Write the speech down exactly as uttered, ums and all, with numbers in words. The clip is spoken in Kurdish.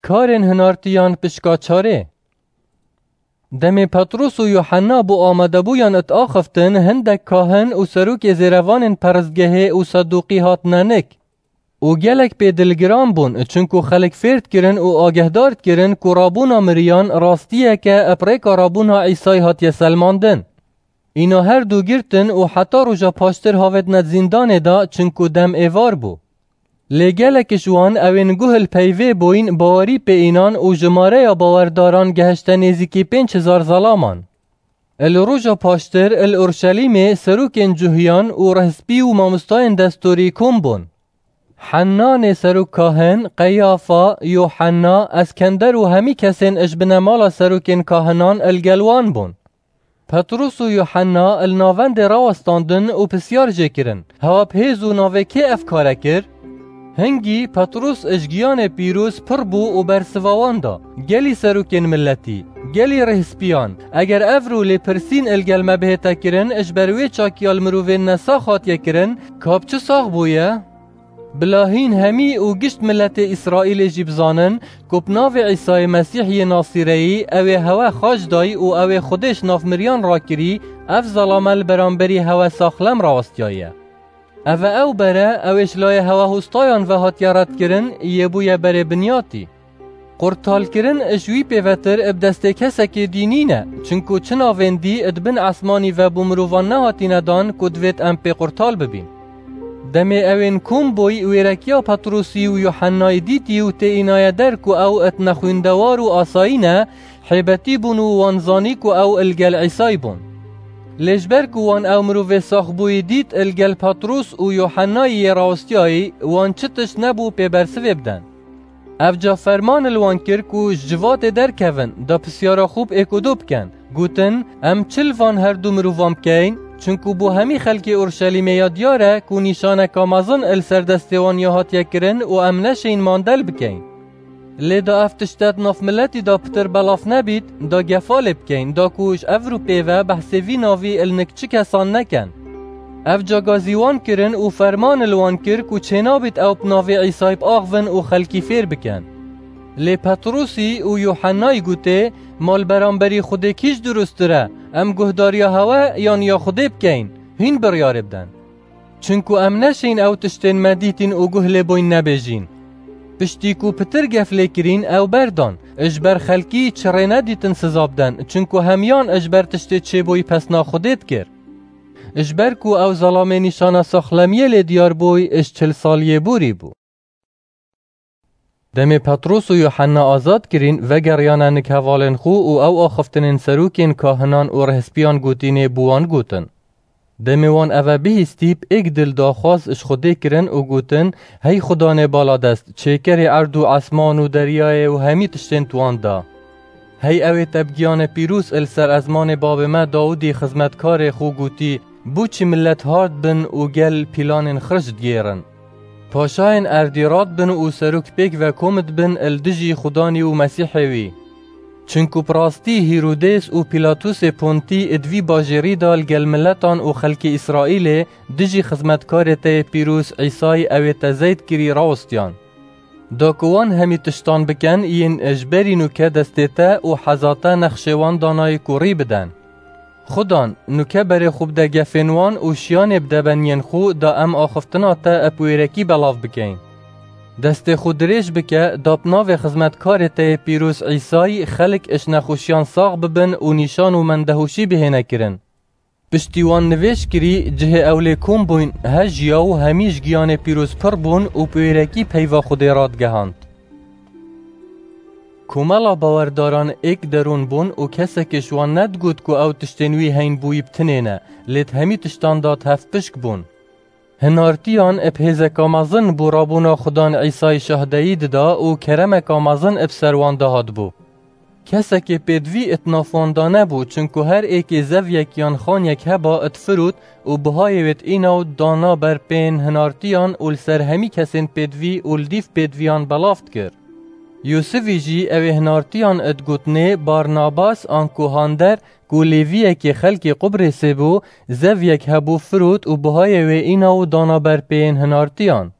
Karên hinartiyan pişka çarê. Demê Petrûs û Yuhenna bo amadebûyan diaxiftin, hindek kahin û serokê zêrevanên peristgehê û Sedûqî hatine nik. Û gelek pê dilgiran bûn, çinku xelk fêr dikirin û agehdar dikirin ku rabûna miriyan rastiyeke bi rêka rabûna Îsayî hatiye selmandin. Îna her du girtin û heta roja paştir havêtine zîndanê de, çinku dem êvar bû. Lê gelek ji wan ewên guh li peyvê bûyn, bawerî pê înan û jimareya bawerdaran gehişte nêzîkî pênc hezar zelaman. Li roja paştir li Urşelîmê serokên cuhiyan û rihspî û mamostayên destorî kom bûn. Hennanê serok kahin, Qeyafa, Yohenna, Eskender û hemî kesên ji binemala serokên kahinan li gel wan bûn. Petrûs û Yuhenna li navendê rawestandin û pisyar jê kirin, Hewa bi hêz û navê kê ev kare kir? Hingî Petrûs ji giyanê pîroz pir bû û bersiva wan da, Gelî serokên miletî, gelî rihspiyan, eger ev rû lêpirsîn li gel me bihête kirin, ji ber wê çakiya li mirovên nesax hatiye kirin, ka bi çi sax bûye? Bila hîn hemî û gişt miletê Îsraîlê jî bizanin ku bi navê Îsayê Mesîh yê Nasîreyî ew ê hewe xaç dayî û ew ê Xwedê ji nav miriyan rakirî, ev zelame li beramberî hewe saxlem rawestiyaye. Ev e ew ber e, ew ê ji layê hewe hostayan ve hatiye redkirin, yê bûye berê binyatî. Qurtalkirin ji wî pêvetir bi destê kesekê dî nîne, çinku çi navên dî di bin esmanî ve bo mirovan nehatîne dan ku divêt em pê qurtal bibîn. Demê ewên kom bûy wêrekiya Petrûsî û Yuhennayî dîtî û tê înaye der ku ew nexwîndewar û asayî ne, hêbetî bûn û wan zanî ku ew li gel Îsayî bûn. Lê ji ber ku wan ew mirovê saxbûyî dît li gel Petrûs û Yuhennayî yê rawestiyayî, wan çi tişt nebû pê bersivê biden. Ev ca ferman li wan kir ku ji civatê derkevin, da pisyara xwe bi êkodo bikin. Gotin, Em çi li van her du mirovan bikeyn? Çinku bo hemî xelkê Urşelîmê ya diyar e ku nîşaneka mezin li ser destê wan ya hatiye kirin û em neşên mandel bikeyn. Lê da ev tişte di nav miletî de pitir belav nebît, da gefa lê bikeyn, da ku ji ev rû pê ve behsê vî navî li nik çi kesan nekin. Ev ca gazî wan kirin û ferman li wan kir ku çênabît ew bi navê Îsayî biaxivin û xelkî fêr bikin. Lê Petrûsî û Yuhennayî gotê, Ma li beramberî Xwedê kî ji dirustir e? Em guhdariya hewe yan ya Xwedê bikeyn? Hîn biryarê bidin. Çinku em neşên ew tiştên me dîtîn û guh lê bûyn nebêjîn. Piştî ku pitir gef lê kirîn, ew berdan, ji ber xelkî çi rê nedîtin siza biden, çinku hemiyan ji ber tiştê çêbûyî pesna Xwedê dikir. Ji ber ku ew zelamê nîşana saxlemiyê lê diyar bûy, ji çil saliyê borî bû. Demê Petrûs û Yuhenna azad kirîn, vegeriyane nik hevalên xwe û ew axiftinên serokên kahinan û rihspiyan gotînê bo wan gotin. Demê wan eve bihîstî, bi êk dil daxwaz ji Xwedê kirin û gotin, Hey Xudanê baladest, çêkerê erd û esman û deryayê û hemî tiştên di wan de. Hey ew ê te bi giyanê pîroz li ser ezmanê babê me Dawidî xizmetkarê xwe gotî, Bo çi milet hard bin û gel pîlanên xirc digêrin? Paşayên erdî rad bin û serok pêk ve kom dibin li dijî Xudanî û Mesîhê wî. Çinku bi rastî Hîrodês û Pîlatusê Pontî di vî bajêrî de li gel miletan û xelkê Îsraîlê dijî xizmetkarê te yê pîroz Îsayî ew ê te zeyt kirî rawestiyan. Da ku wan hemî tiştan bikin, yên ji berî nûke destê te û heza te nexşê wan danayî ku rî biden. Xudan, nûke berê xwe bide gefên wan û şiyanê bide beniyên xwe, da em axiftina te bi wêrekî belav bikeyn. Destê xwe dirêj bike, da bi navê xizmetkarê te yê pîroz Îsayî xelk ji nexweşiyan sax bibin û nîşan û mendehoşî bihêne kirin. Piştî wan nivêj kirî, cihê ew lê kom bûyn, hejiya û hemî ji giyanê pîroz pir bûn û bi wêrekî peyva Xwedê radigehand. Komela bawerdaran êk derûn bûn û kesekê ji wan nedigot ku ew tiştên wî heyn bûyî bi tinê ne, lê di hemî tiştan de di hevpişk bûn. Hinartiyan bi hêzeka mezin bo rabûna Xudan Îsayî şahdeyî dida û keremeka mezin bi ser wan de hatibû. Kesekê pêdivî di nav wan de nebû, çinku her êkê zevyek yan xanyek heba difirot û bihayê wê dîna û dana ber pêyên hinartiyan û li ser hemî kesên pêdivî û li dîv pêdiviyan belav dikir. Yûsivî jî ew ê hinartiyan digotinê Barnabas anku Hander, ku Lêviyekê xelkê Qubrêsê bû, zevyek hebû firot û bihayê wê îna û dana ber pêyên hinartiyan.